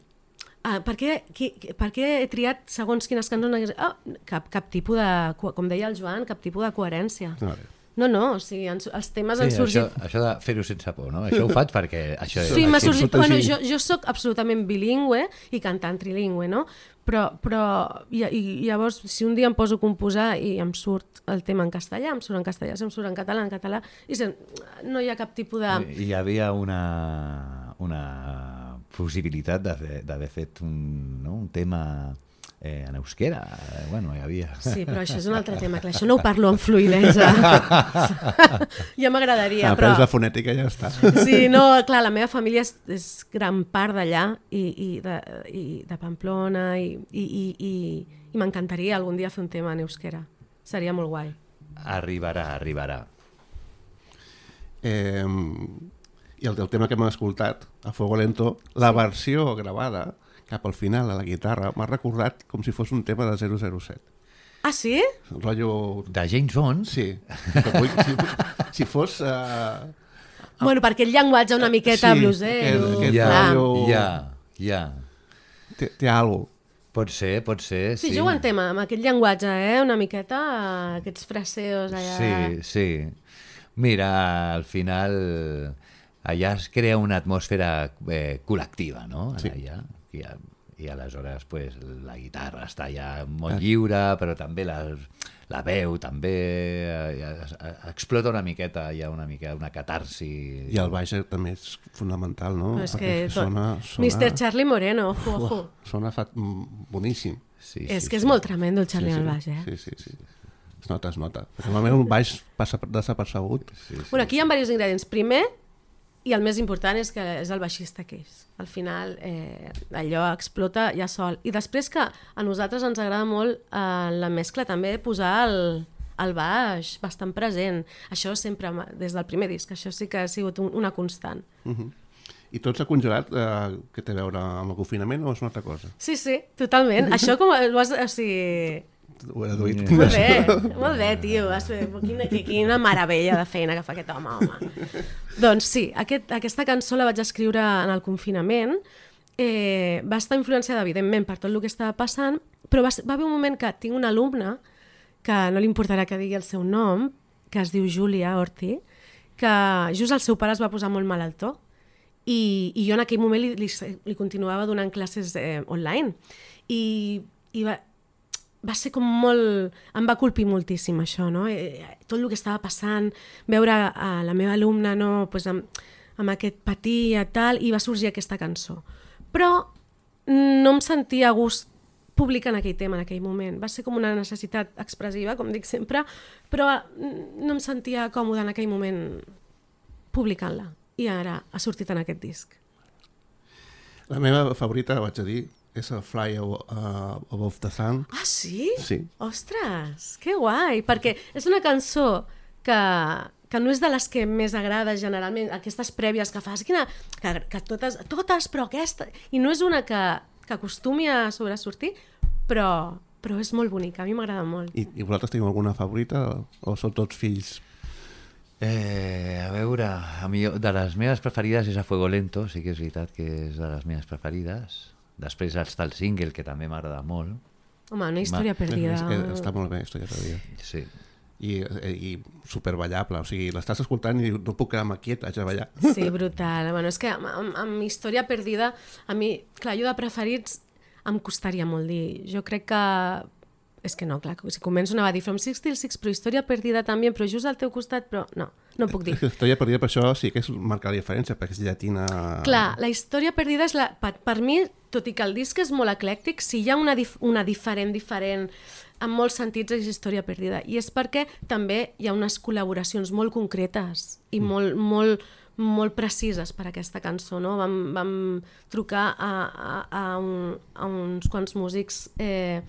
[SPEAKER 3] Ah, per, què, qui, per què he triat segons quines cançons? Oh, cap, cap tipus de... Com deia el Joan, cap tipus de coherència.
[SPEAKER 2] A veure.
[SPEAKER 3] No, no, o sigui, ens, els temes
[SPEAKER 4] Sí,
[SPEAKER 3] han sorgit...
[SPEAKER 4] això, això de fer-ho sense por, no? Això ho faig perquè... Això,
[SPEAKER 3] Sí, m'ha
[SPEAKER 4] així-
[SPEAKER 3] sorgit...
[SPEAKER 2] tot
[SPEAKER 3] Bueno,
[SPEAKER 2] així.
[SPEAKER 3] jo, jo soc absolutament bilingüe i cantant trilingüe, no? Però, però i, i llavors, si un dia em poso a composar i em surt el tema en castellà, em surt en castellà, si em surt en català, en català, i se, no hi ha cap tipus de...
[SPEAKER 4] Hi havia una, una possibilitat de fer- d'haver fet un, no? un tema eh, en euskera. Eh, bueno, hi havia...
[SPEAKER 3] Sí, però això és un altre tema, clar, això no ho parlo amb fluïdesa. Ja m'agradaria,
[SPEAKER 2] Ah,
[SPEAKER 3] però...
[SPEAKER 2] Aprens la fonètica i ja està.
[SPEAKER 3] Sí, no, clar, la meva família és, és gran part d'allà i, i, de, i de Pamplona i, i, i, i, i m'encantaria algun dia fer un tema en euskera. Seria molt guai.
[SPEAKER 4] Arribarà, arribarà.
[SPEAKER 2] Eh, I el, el tema que hem escoltat, a Fuego Lento, la versió gravada cap al final a la guitarra m'ha recordat com si fos un tema de zero zero set.
[SPEAKER 3] Ah, sí?
[SPEAKER 2] Un rotllo...
[SPEAKER 4] De James Bond?
[SPEAKER 2] Sí. Que vull, si, si fos... Uh,
[SPEAKER 3] Bueno, per aquell llenguatge una miqueta
[SPEAKER 2] Sí,
[SPEAKER 3] blusero.
[SPEAKER 2] aquest- aquest
[SPEAKER 4] Ja,
[SPEAKER 3] clar.
[SPEAKER 2] rotllo-
[SPEAKER 4] ja, ja.
[SPEAKER 2] té, té alguna cosa.
[SPEAKER 4] Pot ser, pot ser,
[SPEAKER 3] Sí,
[SPEAKER 4] sí.
[SPEAKER 3] jo ho entenc, amb aquell llenguatge, eh? Una miqueta, eh, aquests fraseos allà...
[SPEAKER 4] Sí, sí. Mira, al final allà es crea una atmosfera eh, col·lectiva, no?
[SPEAKER 2] Sí.
[SPEAKER 4] Allà, i, a, i aleshores pues, la guitarra està ja molt lliure, però també la, la veu també eh, es- es- explota una miqueta, hi ha una mica una catarsi.
[SPEAKER 2] I el baix també és fonamental, no?
[SPEAKER 3] Però és
[SPEAKER 2] Perquè
[SPEAKER 3] que... tot-
[SPEAKER 2] sona, sona,
[SPEAKER 3] mister Charlie Moreno, ojo, ojo.
[SPEAKER 2] sona fa, mm, boníssim.
[SPEAKER 4] Sí,
[SPEAKER 3] És
[SPEAKER 4] sí,
[SPEAKER 3] que és
[SPEAKER 4] sí.
[SPEAKER 3] molt tremendo el Charlie
[SPEAKER 2] sí,
[SPEAKER 3] al
[SPEAKER 2] sí.
[SPEAKER 3] baix, eh?
[SPEAKER 2] Sí, sí, sí. Es nota, es nota. Perquè normalment un baix passa desapercebut.
[SPEAKER 4] Sí, sí.
[SPEAKER 3] Bueno, aquí hi ha diversos ingredients. Primer, i el més important és que és el baixista que és. Al final eh, allò explota ja sol. I després que a nosaltres ens agrada molt eh, la mescla també posar el, el baix bastant present. Això sempre, des del primer disc, això sí que ha sigut un, una constant.
[SPEAKER 2] Uh -huh. I tot s'ha congelat, eh, què té a veure amb el confinament o és una altra cosa?
[SPEAKER 3] Sí, sí, totalment. Això com ho has... O sigui...
[SPEAKER 2] Ho he deduït.
[SPEAKER 3] Molt bé, molt bé, tio. Has fet... Quina, quina meravella de feina que fa aquest home, home. Doncs sí, aquest, aquesta cançó la vaig escriure en el confinament. Eh, va estar influenciada, evidentment, per tot el que estava passant, però va, va haver un moment que tinc una alumna, que no li importarà que digui el seu nom, que es diu Júlia Orti, que just el seu pare es va posar molt malalt i, i jo en aquell moment li, li, li continuava donant classes eh, online. I, i va, va ser com molt... Em va colpir moltíssim això, no? Eh, tot el que estava passant, veure a la meva alumna no, pues amb, amb aquest patí i tal, i va sorgir aquesta cançó. Però no em sentia a gust publicant aquell tema en aquell moment. Va ser com una necessitat expressiva, com dic sempre, però no em sentia còmoda en aquell moment publicant-la. I ara ha sortit en aquest disc.
[SPEAKER 2] La meva favorita, vaig a dir, és el Fly Above the Sun.
[SPEAKER 3] Ah, sí?
[SPEAKER 2] Sí.
[SPEAKER 3] Ostres, que guai, perquè és una cançó que, que no és de les que més agrada generalment, aquestes prèvies que fas, quina, que, que totes, totes, però aquesta... I no és una que, que acostumi a sobresortir, però, però és molt bonica, a mi m'agrada molt.
[SPEAKER 2] I, I vosaltres teniu alguna favorita o sou tots fills?
[SPEAKER 4] Eh, a veure, a mi, de les meves preferides és A Fuego Lento, sí que és veritat que és de les meves preferides. Després està el single, que també m'agrada molt.
[SPEAKER 3] Home, una història perdida.
[SPEAKER 2] És que està molt bé, història perdida.
[SPEAKER 4] Sí.
[SPEAKER 2] I, i superballable, o sigui, l'estàs escoltant i no puc quedar-me quiet, haig de ballar.
[SPEAKER 3] Sí, brutal. Bueno, és que amb, amb, amb història perdida, a mi, clar, jo de preferits em costaria molt dir. Jo crec que... És que no, clar, si començo anava a dir From Six Till Six, però història perdida també, però just al teu costat, però no, no puc dir.
[SPEAKER 2] Història perdida per això sí que és marcar la diferència, perquè és llatina...
[SPEAKER 3] Clar, la història perdida és la... Per, per mi, tot i que el disc és molt eclèctic, si hi ha una, dif una diferent, diferent, en molts sentits és història perdida. I és perquè també hi ha unes col·laboracions molt concretes i mm. molt, molt, molt precises per a aquesta cançó, no? Vam, vam trucar a, a, a, un, a uns quants músics... Eh,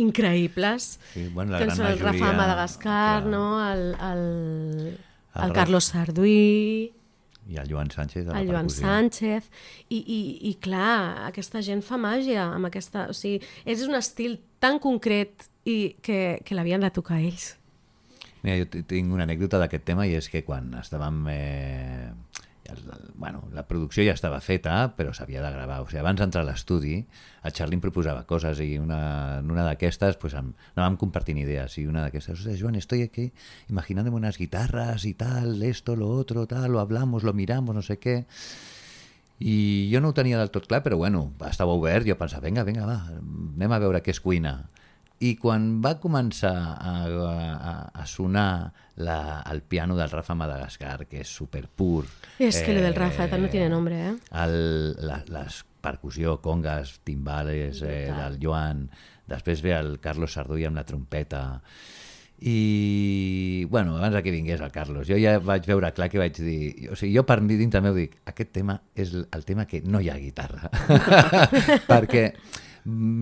[SPEAKER 3] increïbles,
[SPEAKER 4] sí, bueno,
[SPEAKER 3] que són el Rafa Madagascar, no? el, el, el, el Carlos Sarduí
[SPEAKER 4] i el Joan Sánchez de la
[SPEAKER 3] el Joan
[SPEAKER 4] percussió.
[SPEAKER 3] Sánchez i, i, i clar, aquesta gent fa màgia amb aquesta, o sigui, és un estil tan concret i que, que l'havien de tocar ells.
[SPEAKER 4] Mira, jo tinc una anècdota d'aquest tema i és que quan estàvem... Eh, el, bueno, la producció ja estava feta, però s'havia de gravar. O sigui, abans d'entrar a l'estudi, el Charlie em proposava coses i una, en una d'aquestes pues, anàvem compartint idees. I una d'aquestes, o sea, Joan, estoy aquí imaginándome unas guitarras y tal, esto, lo otro, tal, lo hablamos, lo miramos, no sé què. I jo no ho tenia del tot clar, però bueno, estava obert, jo pensava, vinga, vinga, va, anem a veure què es cuina. I quan va començar a, a, a sonar la, el piano del Rafa Madagascar, que és superpur...
[SPEAKER 3] És que eh, lo del Rafa no tiene nombre, eh?
[SPEAKER 4] El, la, les percussió, congas, timbales eh, del Joan, després ve el Carlos Sarduí amb la trompeta... I, bueno, abans que vingués el Carlos, jo ja vaig veure clar que vaig dir... O sigui, jo per mi dins també ho dic, aquest tema és el tema que no hi ha guitarra. Perquè...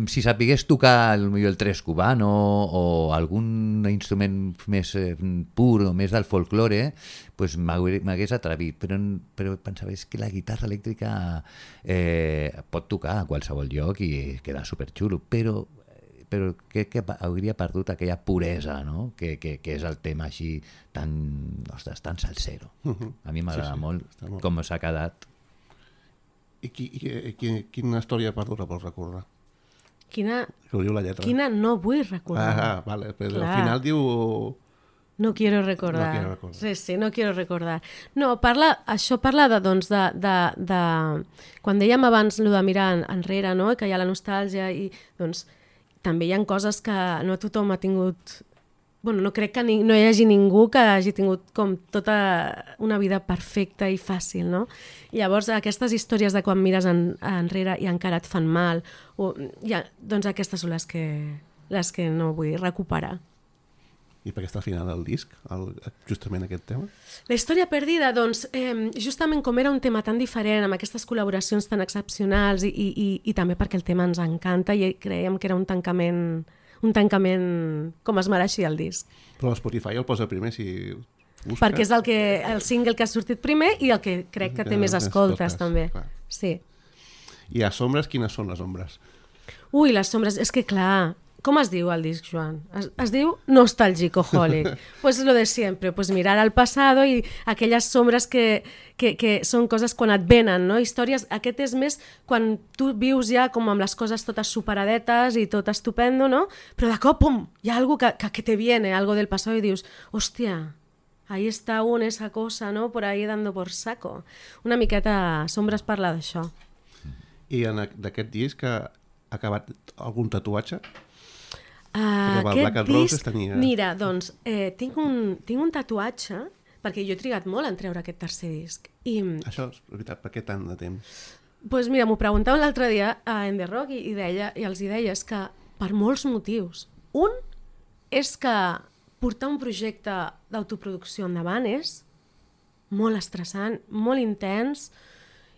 [SPEAKER 4] si sapigués tocar el, el tres cubano o algun instrument més eh, pur o més del folklore, pues m'hagués atrevit, però, però pensava és que la guitarra elèctrica eh, pot tocar a qualsevol lloc i queda superxulo, però, però crec que hauria perdut aquella puresa, no? que, que, que és el tema així tan, ostres, tan salsero. Uh-huh. A mi m'agrada sí, sí, molt, molt com s'ha quedat.
[SPEAKER 2] I, qui, i qui, quina història perdura vols recordar?
[SPEAKER 3] Quina,
[SPEAKER 2] la lletra.
[SPEAKER 3] quina no vull recordar.
[SPEAKER 2] Ah, vale, però al final diu...
[SPEAKER 3] No quiero recordar.
[SPEAKER 2] No quiero recordar.
[SPEAKER 3] Sí, sí, no quiero recordar. No, parla, això parla de, doncs, de, de, de... Quan dèiem abans el de mirar enrere, no? Que hi ha la nostàlgia i doncs també hi ha coses que no tothom ha tingut... Bueno, no crec que ni, no hi hagi ningú que hagi tingut com tota una vida perfecta i fàcil, no? I llavors aquestes històries de quan mires en, enrere i encara et fan mal, o, ja, doncs aquestes són les que, les que no vull recuperar.
[SPEAKER 2] I per què està al final del disc, el, justament aquest tema?
[SPEAKER 3] La història perdida, doncs, eh, justament com era un tema tan diferent, amb aquestes col·laboracions tan excepcionals i, i, i, i també perquè el tema ens encanta i creiem que era un tancament... un tancament com es mereixia el disc.
[SPEAKER 2] Però Spotify el posa primer si... Busca.
[SPEAKER 3] perquè és el, que, el single que ha sortit primer i el que crec que té
[SPEAKER 2] Que
[SPEAKER 3] més
[SPEAKER 2] més
[SPEAKER 3] escoltes,
[SPEAKER 2] escoltes,
[SPEAKER 3] també.
[SPEAKER 2] clar.
[SPEAKER 3] Sí.
[SPEAKER 2] I a sombres, quines són les ombres?
[SPEAKER 3] Ui, les sombres, és que clar, com es diu el disc, Joan? Es, es diu Nostalgicoholic. Pues lo de siempre, pues mirar al pasado i aquelles sombres que, que, que són coses quan et venen, no? Històries, aquest és més quan tu vius ja com amb les coses totes superadetes i tot estupendo, no? Però de cop, pum, hi ha algo que, que, que te viene, algo del pasado i dius, hòstia, ahí està un, esa cosa, no? Por ahí dando por saco. Una miqueta sombres parla d'això.
[SPEAKER 2] I en a- d'aquest disc ha acabat algun tatuatge?
[SPEAKER 3] Uh,
[SPEAKER 2] Perquè el Black and Roses tenia-
[SPEAKER 3] Mira, doncs, eh, tinc, un, tinc un tatuatge, perquè jo he trigat molt en treure aquest tercer disc. I,
[SPEAKER 2] Això és veritat, per què tant de temps?
[SPEAKER 3] pues mira, m'ho preguntaven l'altre dia a En The Rock i, i, deia, i els hi deia és que per molts motius. Un és que portar un projecte d'autoproducció endavant és molt estressant, molt intens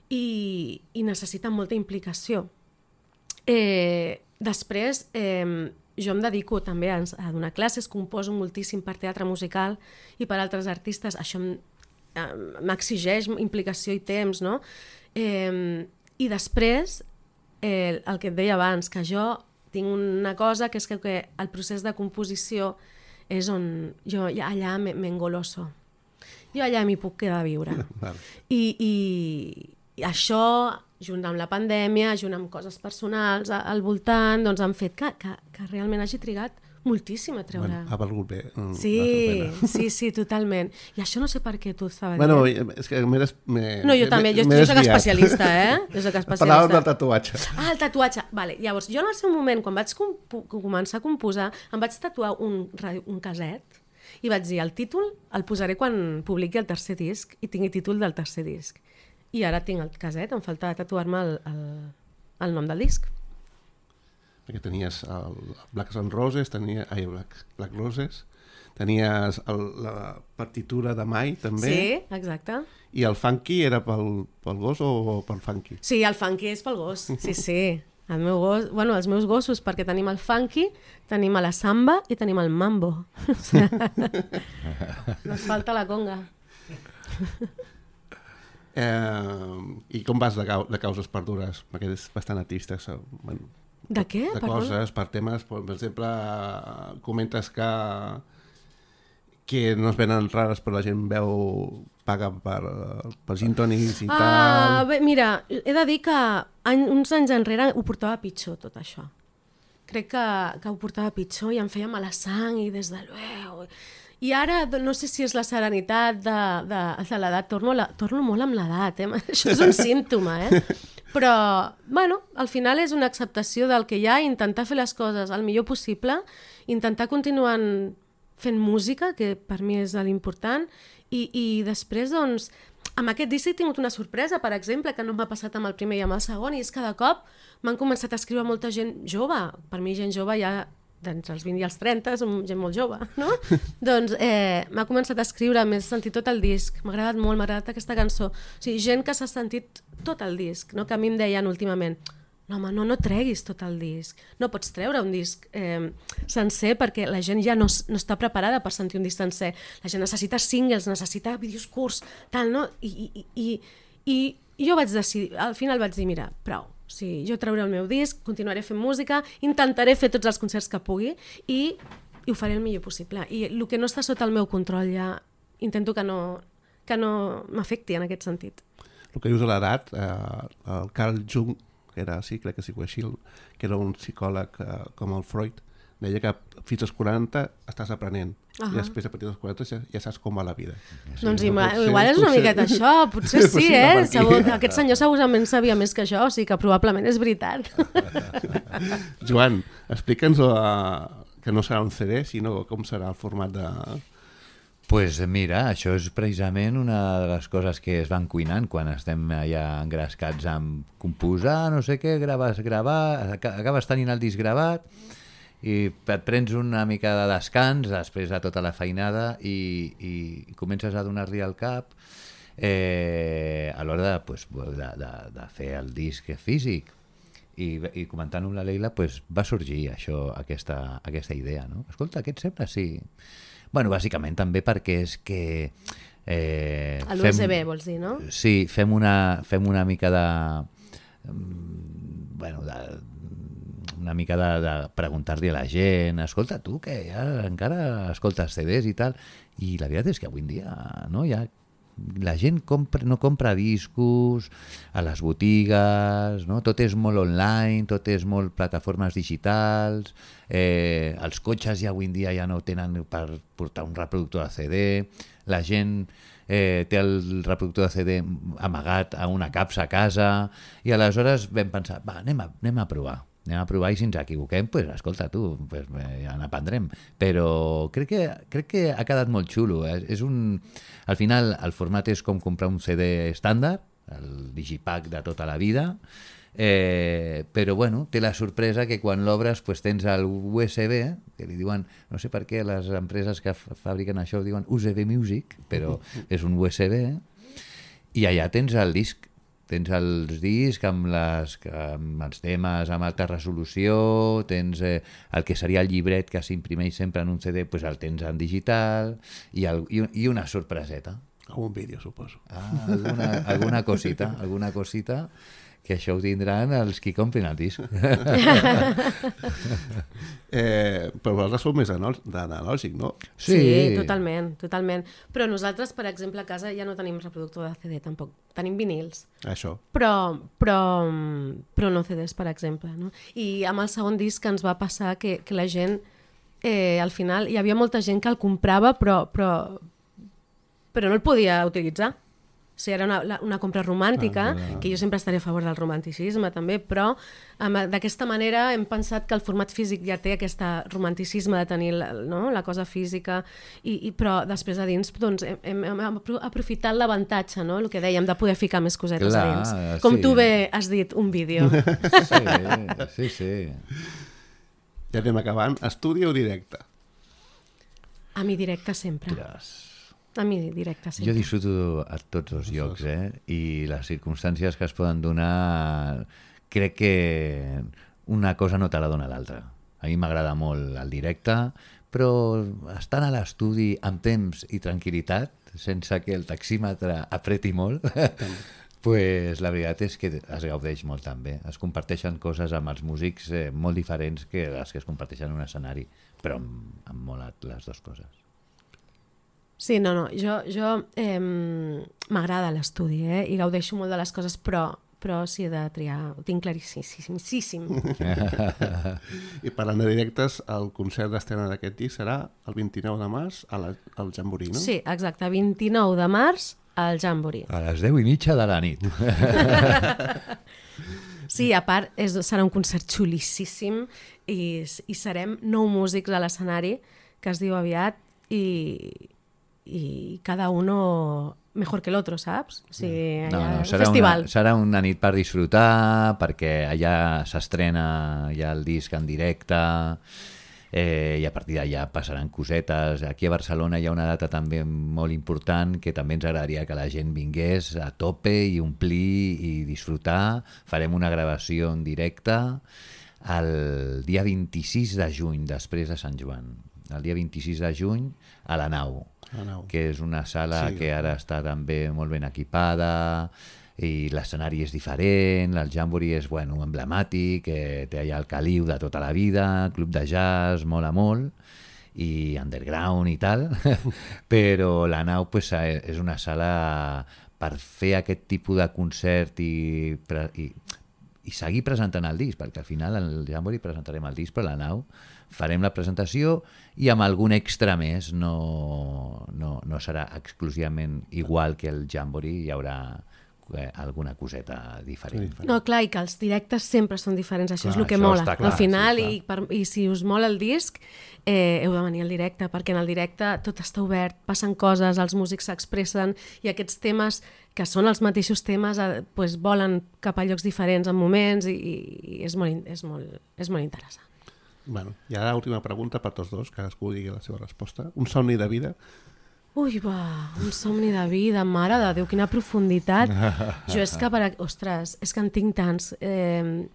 [SPEAKER 3] i, i necessita molta implicació. Eh, després, eh, jo em dedico també a, a donar classes, composo moltíssim per teatre musical i per altres artistes. Això em- eh, m'exigeix implicació i temps, no? Eh, I després, eh, el que et deia abans, que jo tinc una cosa que és que, que el procés de composició és on jo ja allà me- m'engoloso. Jo allà m'hi puc quedar a viure.
[SPEAKER 2] Vale.
[SPEAKER 3] I, i, I això, junt amb la pandèmia, junt amb coses personals a- al voltant, doncs han fet que, que, que realment hagi trigat moltíssim a treure.
[SPEAKER 2] Bueno, ha valgut bé. mm,
[SPEAKER 3] Sí,
[SPEAKER 2] la pena.
[SPEAKER 3] sí, sí, totalment. I això no sé per què tu estava
[SPEAKER 2] Bueno,
[SPEAKER 3] dient.
[SPEAKER 2] és que m'he des... m'he-
[SPEAKER 3] No, jo
[SPEAKER 2] m'he-
[SPEAKER 3] també, jo,
[SPEAKER 2] m'he
[SPEAKER 3] jo soc
[SPEAKER 2] desviat.
[SPEAKER 3] especialista, eh? Jo soc especialista.
[SPEAKER 2] Parlàvem del tatuatge.
[SPEAKER 3] Ah, el tatuatge. Vale. Llavors, jo en el seu moment, quan vaig compo començar a composar, em vaig tatuar un, radi- un caset i vaig dir, el títol el posaré quan publiqui el tercer disc i tingui títol del tercer disc. I ara tinc el caset, em falta tatuar-me el, el, el nom del disc.
[SPEAKER 2] Perquè tenies el Black and Roses, tenia, ai, Black, Black Roses, tenies el, la partitura de Mai, també,
[SPEAKER 3] Sí, exacte.
[SPEAKER 2] i el funky era pel, pel gos o pel funky?
[SPEAKER 3] Sí, el funky és pel gos, sí, sí. El meu gos, bueno, els meus gossos, perquè tenim el funky, tenim a la samba i tenim el mambo. No ens falta la conga.
[SPEAKER 2] Eh, I com vas de, cau de causes perdures? Perquè és bastant artista. So, bueno,
[SPEAKER 3] De què?
[SPEAKER 2] de
[SPEAKER 3] Perdona?
[SPEAKER 2] coses, per temes, per exemple, comentes que que no es venen rares però la gent veu, paga per, per gin tònics i
[SPEAKER 3] Ah,
[SPEAKER 2] tal.
[SPEAKER 3] bé, mira, he de dir que any, uns anys enrere ho portava pitjor, tot això. Crec que, que ho portava pitjor i em feia mala sang i des de luego. I ara do- no sé si és la serenitat de, de, de l'edat, torno, a la, torno molt amb l'edat, eh? Això és un símptoma, eh? Però, bueno, al final és una acceptació del que hi ha, intentar fer les coses el millor possible, intentar continuar fent música, que per mi és l'important, i, i després, doncs, amb aquest disc he tingut una sorpresa, per exemple, que no m'ha passat amb el primer i amb el segon, i és que de cop m'han començat a escriure molta gent jove. Per mi gent jove ja d'entre els vint i els trenta, som gent molt jove, no? Doncs eh, m'ha començat a escriure, m'he sentit tot el disc, m'ha agradat molt, m'ha agradat aquesta cançó. O sigui, gent que s'ha sentit tot el disc, no? Que a mi em deien últimament, no, home, no, no treguis tot el disc, no pots treure un disc eh, sencer perquè la gent ja no, s- no està preparada per sentir un disc sencer. La gent necessita singles, necessita vídeos curts, tal, no? I, i, i, i, i jo vaig decidir, al final vaig dir, mira, prou, sí, jo trauré el meu disc, continuaré fent música, intentaré fer tots els concerts que pugui i, i ho faré el millor possible. I el que no està sota el meu control ja intento que no, que no m'afecti en aquest sentit.
[SPEAKER 2] El que dius de l'edat, eh, el Carl Jung, que era, sí, crec que sí, així, que era un psicòleg eh, com el Freud, deia que fins als quaranta estàs aprenent. Uh -huh. I després, a partir dels quaranta, ja, ja saps com va la vida.
[SPEAKER 3] Sí, doncs ima,
[SPEAKER 2] potser-
[SPEAKER 3] igual és una
[SPEAKER 2] potser-
[SPEAKER 3] miqueta això, potser sí,
[SPEAKER 2] Potser va
[SPEAKER 3] eh?
[SPEAKER 2] per aquí.
[SPEAKER 3] Segur, aquest senyor segurament sabia més que jo, o sigui que probablement és veritat.
[SPEAKER 2] Joan, explica'ns uh, que no serà un C D, sinó com serà el format de...
[SPEAKER 4] Pues mira, això és precisament una de les coses que es van cuinant quan estem allà engrescats amb composar, no sé què, graves, gravar, aca- acabes tenint el disc gravat i et prens una mica de descans després de tota la feinada i, i comences a donar-li al cap eh, a l'hora de, pues, de, de, de fer el disc físic. I, i comentant amb la Leila pues, va sorgir això, aquesta, aquesta idea, no? Escolta, què et sembla? Sí. Bueno, bàsicament també perquè és que... Eh,
[SPEAKER 3] l'U S B vols dir, no?
[SPEAKER 4] Sí, fem una, fem una mica de... Bueno, de, una mica de, de preguntar-li a la gent, escolta, tu que ja encara escoltes C Ds i tal, i la veritat és que avui en dia no, ja la gent compra, no compra discos a les botigues, no? Tot és molt online, tot és molt plataformes digitals, eh, els cotxes ja avui en dia ja no tenen per portar un reproductor de C D, la gent eh, té el reproductor de C D amagat a una capsa a casa, i aleshores vam pensar, va, anem a, anem a provar. Anem a provar i si ens equivoquem, pues, escolta tu, pues, ja n'aprendrem. Però crec que, crec que ha quedat molt xulo. Eh? És un... Al final el format és com comprar un C D estàndard, el digipack de tota la vida, eh, però bueno, té la sorpresa que quan l'obres pues, tens el U S B, que li diuen, no sé per què les empreses que fabriquen això diuen U S B Music, però és un U S B, i allà tens el disc. Tens els discs amb, les, amb els temes amb alta resolució, tens eh, el que seria el llibret que s'imprimeix sempre en un C D, pues el tens en digital, i, el, i, i una sorpreseta.
[SPEAKER 2] Un vídeo, suposo.
[SPEAKER 4] Ah, alguna, alguna cosita, alguna cosita, que això ho tindran els qui comprin el disc.
[SPEAKER 2] eh, però vosaltres sou més analògic, no?
[SPEAKER 3] Sí, sí, totalment, totalment. Però nosaltres, per exemple, a casa ja no tenim reproductor de C D, tampoc. Tenim vinils.
[SPEAKER 2] Això.
[SPEAKER 3] Però, però, però no C Ds, per exemple. No? I amb el segon disc ens va passar que, que la gent, eh, al final, hi havia molta gent que el comprava, però, però, però no el podia utilitzar. O sigui, era una, una compra romàntica, ah, ah, ah. que jo sempre estaré a favor del romanticisme també, però d'aquesta manera hem pensat que el format físic ja té aquest romanticisme de tenir la, no? la cosa física, i, i, però després a dins doncs, hem, hem aprofitat l'avantatge, no? El que dèiem, de poder ficar més cosetes Clar, a dins. Com sí. tu bé has dit, un vídeo.
[SPEAKER 4] Sí, sí, sí.
[SPEAKER 2] Ja anem acabant. Estudi o directe?
[SPEAKER 3] A mi directe sempre.
[SPEAKER 4] Yes.
[SPEAKER 3] A mi directe sempre.
[SPEAKER 4] Jo disfruto a tots els llocs, eh? I les circumstàncies que es poden donar, crec que una cosa no te la dona l'altra. A mi m'agrada molt el directe, però estant a l'estudi amb temps i tranquil·litat, sense que el taxímetre apreti molt, pues la veritat és que es gaudeix molt també. Es comparteixen coses amb els músics eh, molt diferents que les que es comparteixen en un escenari, però em mola les dues coses.
[SPEAKER 3] Sí, no, no, jo, jo eh, m'agrada l'estudi, eh, i gaudeixo molt de les coses, però, però si he de triar, ho tinc claríssim.
[SPEAKER 2] I parlant de directes, el concert d'estrena d'aquest disc serà el vint-i-nou de març a la, al Jamboree, no?
[SPEAKER 3] Sí, exacte, vint-i-nou de març al Jamboree.
[SPEAKER 4] A les deu i mitja de la nit.
[SPEAKER 3] Sí, a part, és, serà un concert xulíssim i, i serem nou músics a l'escenari, que es diu aviat, i... i cada uno mejor que el otro, saps? O sigui,
[SPEAKER 4] no, no,
[SPEAKER 3] un
[SPEAKER 4] serà
[SPEAKER 3] festival.
[SPEAKER 4] Una, serà una nit per disfrutar, perquè allà s'estrena ja el disc en directe, eh, i a partir d'allà passaran cosetes. Aquí a Barcelona hi ha una data també molt important que també ens agradaria que la gent vingués a tope i omplir i disfrutar. Farem una gravació en directe el dia vint-i-sis de juny, després de Sant Joan. El dia vint-i-sis de juny a la Nau, que és una sala sí, que ara està també molt ben equipada i l'escenari és diferent, el Jamboree és bueno, emblemàtic, eh, té allà el caliu de tota la vida, club de jazz, mola molt, i underground i tal, però la Nau pues, és una sala per fer aquest tipus de concert i, i, i seguir presentant el disc, perquè al final al Jamboree presentarem el disc, però la Nau farem la presentació i amb algun extra més, no, no, no serà exclusivament igual que el Jamboree, hi haurà eh, alguna coseta diferent.
[SPEAKER 3] No, clar, i que els directes sempre són diferents, això clar, és el que mola. Clar, al final, sí, i, per, i si us mola el disc, eh, heu de venir al directe, perquè en el directe tot està obert, passen coses, els músics s'expressen, i aquests temes, que són els mateixos temes, eh, pues, volen cap a llocs diferents en moments, i, i és, molt, és, molt, és molt interessant.
[SPEAKER 2] Bueno, i ara última pregunta per tots dos, cadascú digui la seva resposta. Un somni de vida?
[SPEAKER 3] Ui, va, un somni de vida, mare de Déu, quina profunditat. Jo és que, per... ostres, és que en tinc tants. Eh,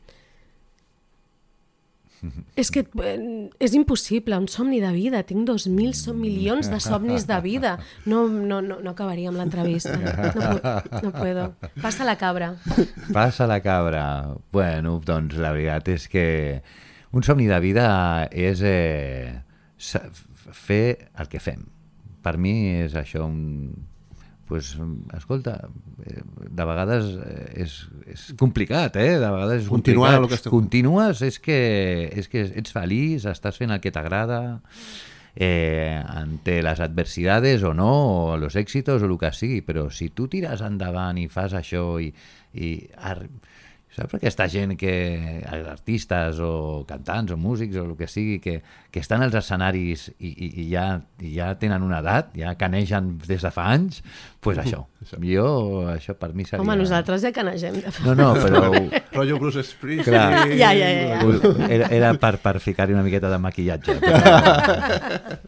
[SPEAKER 3] És que eh, és impossible, un somni de vida. Tinc dos mil som milions de somnis de vida. No, no, no, no acabaria amb l'entrevista. No, pu- no puedo. Passa la cabra.
[SPEAKER 4] Passa la cabra. Bueno, doncs la veritat és que un somni de vida és eh, sa- fer el que fem. Per mi és això un... Pues, escolta, eh, de vegades eh, és, és complicat, eh? De vegades és
[SPEAKER 2] Continuar
[SPEAKER 4] complicat.
[SPEAKER 2] el que esteu-
[SPEAKER 4] Continues, és que, és que ets feliç, estàs fent el que t'agrada, eh, ante les adversidades o no, o los éxitos o el que sigui, però si tu tires endavant i fas això i... i ar... Saps aquesta gent que, artistes o cantants o músics o el que sigui, que, que estan als escenaris i, i, i, ja, i ja tenen una edat, ja canegen des de fa anys, doncs pues això. Jo, això per mi seria...
[SPEAKER 3] Home, nosaltres ja canegem. De fa...
[SPEAKER 4] No, no, però...
[SPEAKER 2] Rotllo Bruce Springsteen.
[SPEAKER 4] Clar.
[SPEAKER 3] Ja, ja, ja, ja.
[SPEAKER 4] Era, era per, per ficar-hi una miqueta de maquillatge. Però...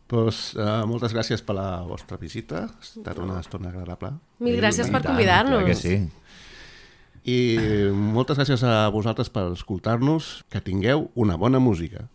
[SPEAKER 2] Pues, uh, moltes gràcies per la vostra visita. Ha estat una estona agradable.
[SPEAKER 3] Mil gràcies
[SPEAKER 4] I
[SPEAKER 3] per
[SPEAKER 4] tant,
[SPEAKER 3] convidar-nos.
[SPEAKER 4] clar que sí.
[SPEAKER 2] I moltes gràcies a vosaltres per escoltar-nos. Que tingueu una bona música.